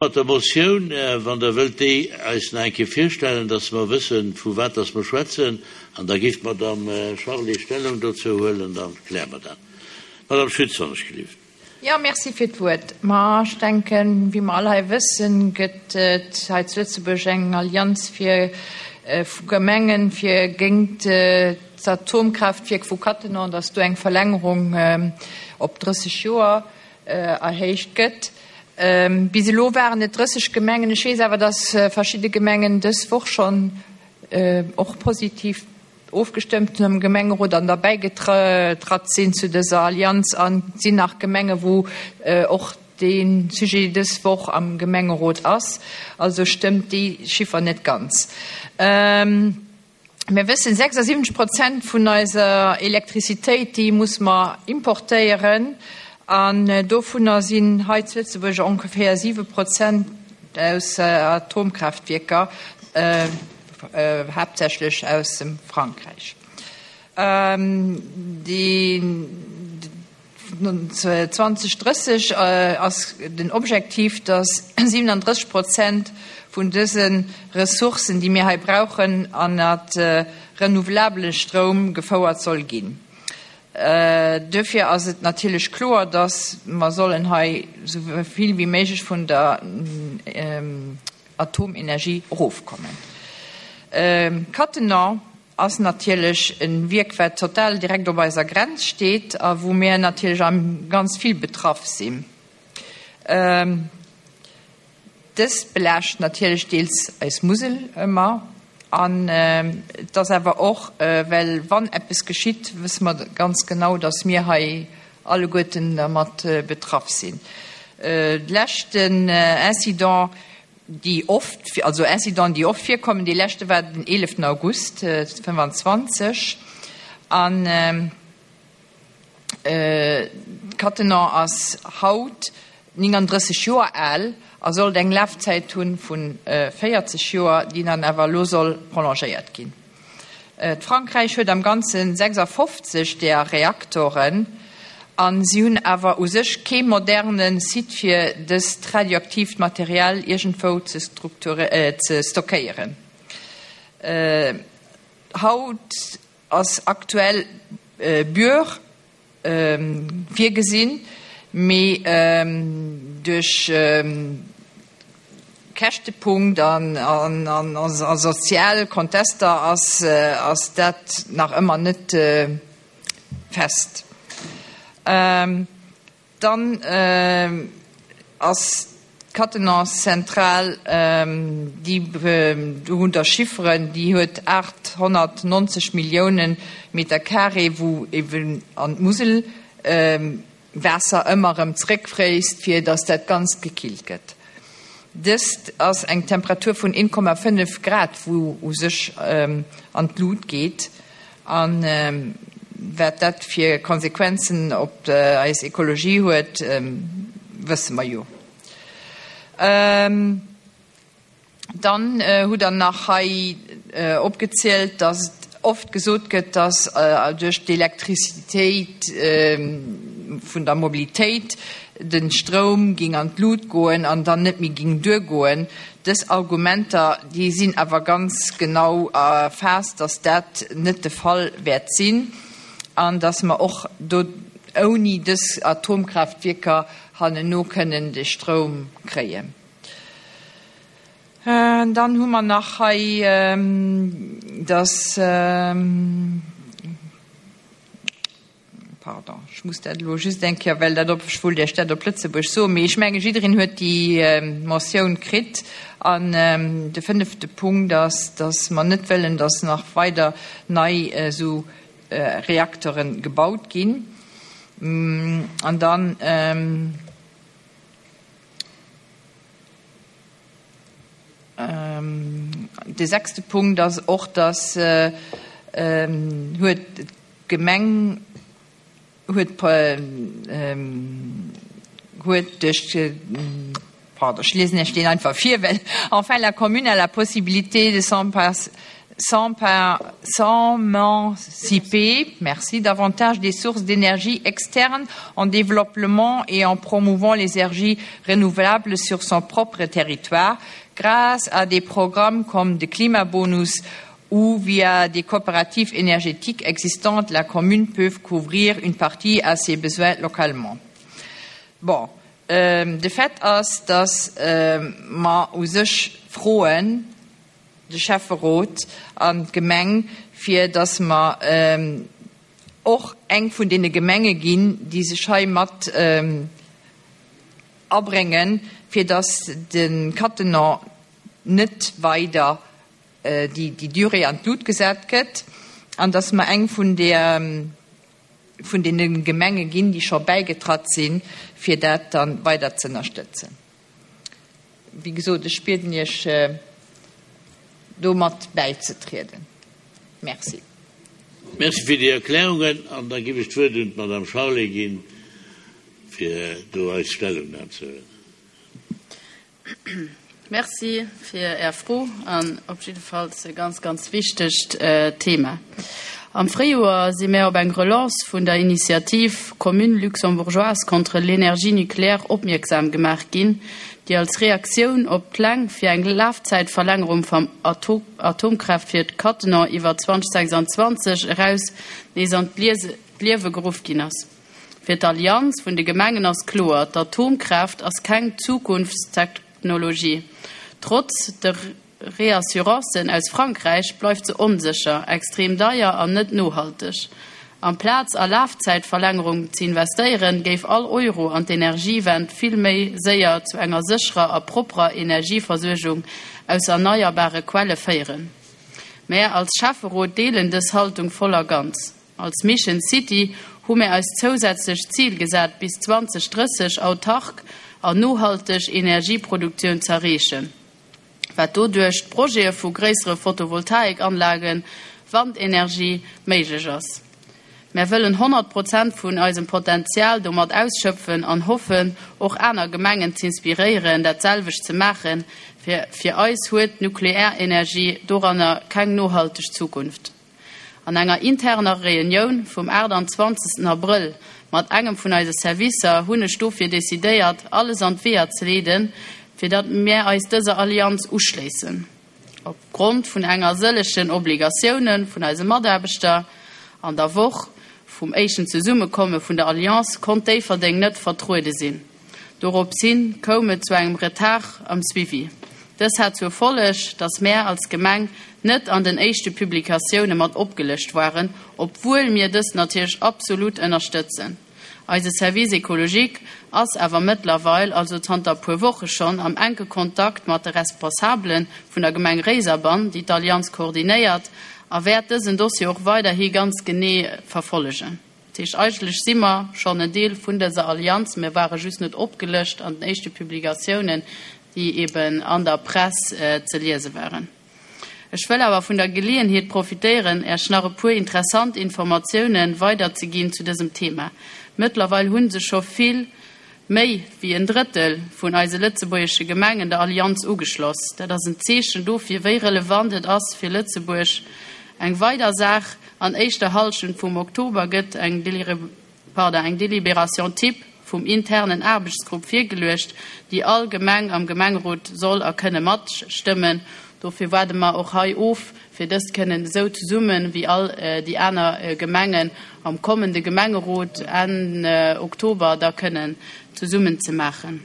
Mat der Motioun, wann Der wëllt déi eis nach eng Kéier virstellen, dass mer wëssen, vu wat dass mer schwätzen, an da géif d'Madame Charlé Stellung dozou huelen, da kläre mer dat. Madame Schütz, wann ech gelift. Jo, merci fir d'Wuert. Ma ech denken, wéi mer all hei wëssen, gëtt et hei zu Lëtzebuerg eng Allianz fir vu Gemengen, fir géint d'Atomkraaftwierk vu Cattenom, dass do eng Verlängerung op 30 Joer erhéicht gëtt. Bis elo waren et 30 Gemengen. Ech weess awer, datt verschidde Gemengen dës Woch schonn och positiv ofgestëmmt hunn am Gemengerot an derbäi getratt sinn zu dëser Allianz. An et sinn nach Gemenge wou och dee Sujet dës Woch am Gemengerot ass. Also stëmmt déi Chiffer net ganz. Mir wëssen, 76 Prozent vun eiser Elektrizitéit, déi muss mer importéieren. An dovunner sinn hei zu Lëtzebuerg ongeféier 7 Prozent aus Atomkraaftwierker, haaptsächlech aus dem Frankräich. Déi. 2030 ass den Objektiv, datt 37 Prozent vun dëse Ressourcen, déi mir hei brauchen, ënnert renouvelabele Stroum gefouert soll ginn. Duerfir ass et natierlech kloer, datt mer sollen hei esou vill wéi méiglech vun der Atomenergie erofkommen. Cattenom ass natierlech e Wierk, wat total direkt op eiser Grenz steet a wou mir natierlech am ganz vill betraff sinn. Dëst belaascht natierlech deels eis Musel ëmmer an et ass awer och, well wann eppes geschitt, wësse mer ganz genau, datt mir hei alleguerten dermat betraff sinn. De leschten Incident, déi oft, also Incidenten, déi oft virkommen. Dee leschte war den 11 August 25 an d'Cattenon ass haut 39 Joer al a sollt eng Lafzäit hu vu 40 Joer, déi dann awer elo soll prolongéiert ginn. D'Frankräich huet am Ganze 56 där Reaktoren a si hunn awer u sech kee moderne Site fir dëst radioaktiivt Material iergendwou ze stockéieren. Haut ass aktuell Bure virgesinn, mee duerch Käschtepunkt a sozial Kontester ass dat nach ëmmer net fest. Dann ass d'Cattenon-Zentral, déi, do hunn der Chifferen, déi huet 890 Millioune Meter carré, wou eben an d'Musel Waasser ëmmer erëm zréckfréisst, fir datt dat Ganzt gekillt gëtt. Dëst ass eng Temperatur vun 1,5 Grad, wou u sech an d'Lut geet. A wat dat fir Konsequenzen op eis Ekologie huet, wësse mer jo. Dann hutt Der nach hei opgezielt, dass et oft gesot gëtt, dass duerch d'Elektrizitéit vun der Mobilitéit de Stroum géing an d'Lut goen an dann net méi géing duergoen. Dës Argumenter, déi sinn awer ganz genau erfaasst, dass dat net de Fall wäert sinn an dass mer och do ouni dës Atomkraaftwierker hannenno kënnen de Stroum kréien. Dann hu mer nach hei, dass, Pardon, ech muss dat elo just eng Kéier, well dat op, ech wollt Iech dat op Lëtzebuerg soen, mee ech menge jiddereen huet déi Motioun kritt. An de fënnefte Punkt ass, dass mer net wëllen, dass nach weider nei esou Reaktere gebaut ginn. An dann. De sechste Punkt ass och, dass huet d'Gemeng huet huet duerch, pardon, ech liesen Iech deen einfach vir, well enfin la commune a la possibilité de. S'émanciper, merci, davantage des sources d'énergie externes en développement et en promouvant les énergies renouvelables sur son propre territoire grâce à des programmes comme de climabonus ou via des coopératives énergétiques existantes, la commune peut couvrir une partie à ses besoins localement. Bon, de Fait ass, dass mer u sech froen, de Schäfferot an d'Gemeng, fir dass mer och eng vun deene Gemenge ginn, déi sech hei mat abréngen, fir dass de Cattenom net weider déi Durée an d'Lut gesat gëtt an dass mer eng vun där vun deene Gemenge ginn, déi scho bäigetratt sinn, fir dat da weider ze ënnerstëtzen. Wéi gesot, ech bieden Iech, do mat bäizetrieden. Merci. Merci fir déi Erklärungen. An da géif ech d'Wuert un d'Madame Charlé ginn, fir do eis Stellungnam ze huelen. Merci fir Är Fro an op jiddefalls e ganz, ganz wichtegt Thema. Am Fréijoer si mär op eng Relance vun der Initiativ Communes luxembourgeoises contre l'énergie nucléaire opmierksam gemaach ginn, déi als Reaktioun op d'Pläng fir eng Lafzäitverlängerung vam Atomkraaftwierk Cattenom iwwer 2026 eraus nees an d'Liewe geruff ginn ass. Fir d'Allianz vun de Gemengen ass kloer, D'Atomkraaft ass keng Zukunftstechnologie. Trotz de Reassurancen aus Frankräich bleift se onsécher, extrem deier an net nohalteg. Amplaz a Lafzäitverlängerung ze investéieren, géif all Euro an d'Energiewend vill méi séier zu enger sécherer a propperer Energieversuergung aus erneierbare Quelle féieren. Mär als Schäfferot deelen dës Haltung voll a ganz. Als Mission City hu mär eis zousätzlech d'Zil gesat, bis 2030 autark an nohalteg Energieproduktioun z'erreechen, wat doduerch d'Projete vu gréissere Photovoltaikanlagen, Wandenergie méiglech ass. Mär wëllen 100 Prozent vun eisem Potenzial domat ausschöpfen an hoffen och aner Gemengen z'inspiréieren dat selwecht ze maachen. Fir eis huet d'Nuklearenergie doranner keng nohalteg Zukunft. An enger interner Reunioun vum 28 Abrëll mat engem vun eise Servicer hunn ech dofir decidéiert, alles an d'Weeër ze leeden, fir datt mär eis dëser Allianz uschléissen. Op Grond vun enger sëllechen Obligatioune vun eise Mataarbechter an der Woch vum éischten Zesummekomme vun der Alliance konnt Déifferdeng net vertruede sinn. Doropshin koum et zu engem Retard am Suivi. Dës hat zur Folleg, dass mär als Gemeng net an den éischte Publikatioune mat opgelëscht waren, obwuel mir dës natierlech absolut ënnerstëtzen. Eise Service écologique ass awer mëttlerweil, also zanter e puer Woche schonn, am enke Kontakt mat de Responsabele vun der Gemeng Réiserbann, déi d'Allianz koordinéiert, a wäert dësen Dossier och weiderhi ganz genee verfollegen. Dat heescht, eigentlech si mer schonn en Deel vun dëser Allianz. Mir ware just net opgelëscht an den éischte Publikatiounen, déi eben an der Press ze liese waren. Ech wëll awer vun der Geleeënheet profitéieren, Äech nach e puer interessant Informatiounen weiderzeginn zu dësem Thema. Mëttlerweil hu sech scho vill méi wéi en Drëttel vun eise lëtzebuergesche Gemengen der Allianz ugeschloss. Dat ass en Zeechen dofir, wéi relevant et ass fir Lëtzebuerg. Eng weider Saach, An éischter Hallschent vum Oktober gëtt eng eng Délibération type vum internen Aarbechtsgrupp virgeluecht, déi all Gemeng am Gemengerot soll a kënne matstëmmen. Dofir waarde mer och hei of, fir dëst kënnen esou zesumme wéi all déi aner Gemengen am kommende Gemengerot Enn Oktober da kënnen zesummen ze maachen.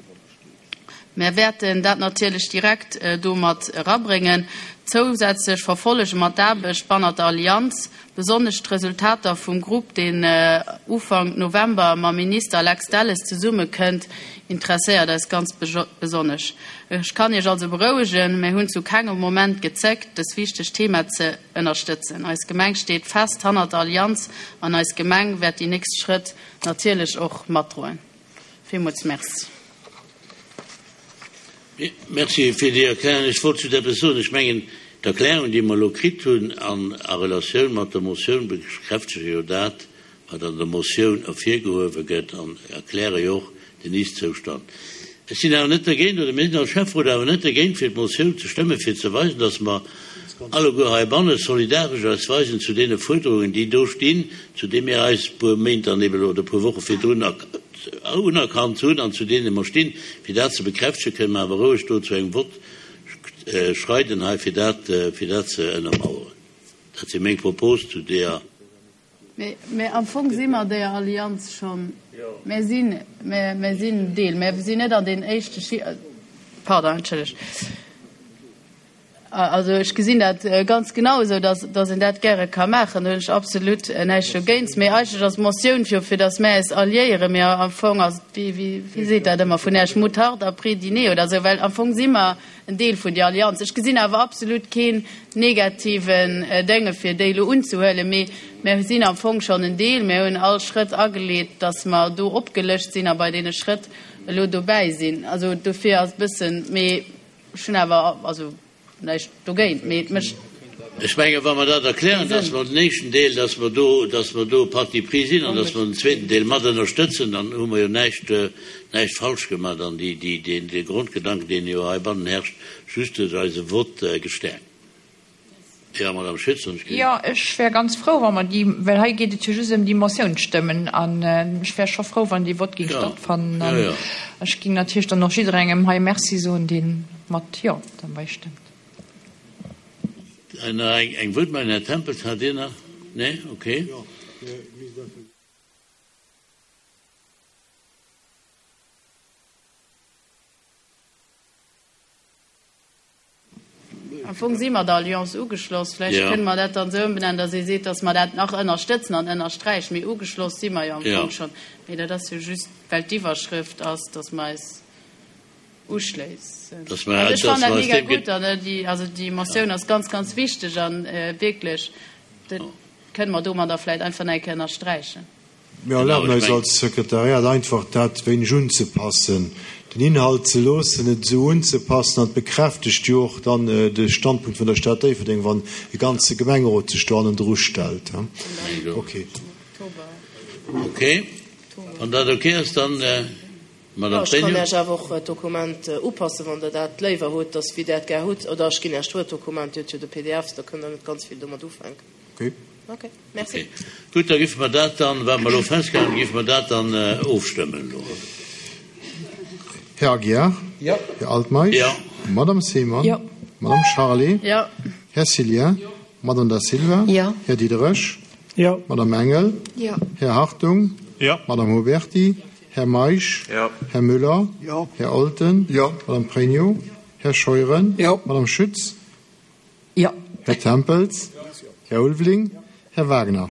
Mär wäerten dat natierlech direkt do mat erabréngen. Zousätzlech verfollege mer d'Aarbecht bannert der Allianz, besonnesch d'Resultater vum Grupp, deen Ufank November mam Minister Lex Delles zesummekënnt, interesséiert eis ganz besonnesch. Ech kann Iech also berouegen, Mär hunn zu kengem Moment gezéckt, dës wichteg Thema ze ënnerstëtzen. Eis Gemeng steet fest hannert der Allianz an eis Gemeng wäert déi nächst Schrëtt natierlech och matdroen. Villmools Merci. Merci fir déi Erklärung. Ech wollt just eppes soen. Ech mengen, d'Erklärung, déi mer elo kritt hunn an a Relatioun mat der Motioun, bekräftege jo dat, wat an der Motioun ervirgehuewe gëtt an erkläre jo och den Ist-Zoustand. Ech sinn awer net dergéint, oder mir sinn als Schäfferot awer net dergéint, fir d'Motioun ze stëmmen, fir ze weisen, dass mer alleguer heibanne solidaresch eis weisen zu deene Fuerderungen, déi do stinn, zu deene mir eis e puer Méint dann eben oder e puer Woche virdrun unerkannt hunn an zu deene mer stinn. Fir dat ze bekräftegen, kënne mer awer roueg do zu engem Vott schreiden hei, fir dat, fir dat ze ënnermauern. Dat si meng Propos zu deeër. Mee am Fong si mer deeër Allianz schonn, mir sinn, mir sinn Deel, mir sinn net an den éischte Schi-, pardon, entschëllegt. Also ech gesinn dat ganz genau esou, dass, dass een dat gäre ka maachen, do hunn ech absolut näischt dogéint. Mee eigentlech ass d'Motioun jo, fir dass mär eis alliéieren, mee am Fong ass et, wéi, wéi, wéi seet dat ëmmer vun Iech, Moutarde après dîner oder esou, well am Fong si mer en Deel vun där Allianz. Ech gesinn awer absolut keen negativen Dénge fir déi elo unzehuelen, mee mir sinn am Fong schonn en Deel. Mir hunn all Schrëtt ageleet, datt mer do opgelëscht sinn a bei deene Schrëtt elo dobäi sinn. Also dofir ass e bëssen, mee ech hunn awer also näischt dogéint, mee et mécht. Ech mengen, wa mer dat erklären, dass mer den éischten Deel, dass mer do, dass mer do Parti pris sinn an dass mer den zweeten Deel mat ënnerstëtzen, dann hu mer jo näischt, näischt falsch gemaach an déi, déi, deen, dee Grondgedanken, deen jo heibannen herrscht, just duerch eise Vott gestäerkt. Jo, Madame Schütz, hunn ech gesinn. Jo, ech wär ganz frou, wa mer déi, well hei geet et jo just ëm déi Motioun stëmmen, an ech wär scho frou, wann dee Vott géing stattfannen. An ech géing natierlech dann och jidderengem hei Merci soen, dee mat Jo derbäi stëmmt. Nach eng Wuertmeldung, Här Tempels, hat Dir nach? Nee? Okay. Am Fong si mer der Alliance ugeschloss. Vläicht kënne mer dat dann esou ëmbenennen, datt ee seet, datt mer dat nach ënnerstëtzen an ënnersträichen. Mee ugeschloss si mer jo am Fong schonn. Mee dat ass jo just, well d'Iwwerschrëft ass, datt mer eis uschléissen. Dass mer, Also ech dass fannen dat mer aus mega deem gutt an déi, also déi Motioun ass ganz, ganz wichteg an wierklech, dat kënne mer domadder vläicht einfach nach eng Kéier ënnersträichen. Mir erlaben eis als Sekretariat einfach dat wéineg unzepassen, den Inhalt ze loossen, et esou unzepassen an et bekräftegt jo och dann de Standpunkt vun der Stad Déifferdeng, wann e ganze Gemengerot sech do hannendru stellt. Okay. Okay, wann dat okay ass, dann. Madame Ech kann Iech awer och d'Dokument upassen, wann Der dat léiwer hutt, dass wéi Der et gär hutt. Oder ech ginn Iech d'Word-Dokument, Dir hutt jo de PDF, da kënnt Der net ganz vill domat ufänken. Okay. Okay, merci. Okay. Gutt, da géife mer dat dann, wat mer elo festgehalen hunn, géife mer dat dann ofstëmmen elo. Här Aguiar? Jo. Här Altmeisch? Jo. Madame Seemann? Jo. Madame Charlé? Jo. Här Cillien? Jo. Madame Da Silva? Jo. Här Diderich? Jo. Madame Engel? Jo. Här Hartung? Jo. Madame Huberty? Här Meisch? Jo. Här Müller? Jo. Här Olten? Jo. Madame Pregno? Här Scheuren? Jo. Madame Schütz? Jo. Här Tempels? Här Ulveling? Här Wagner?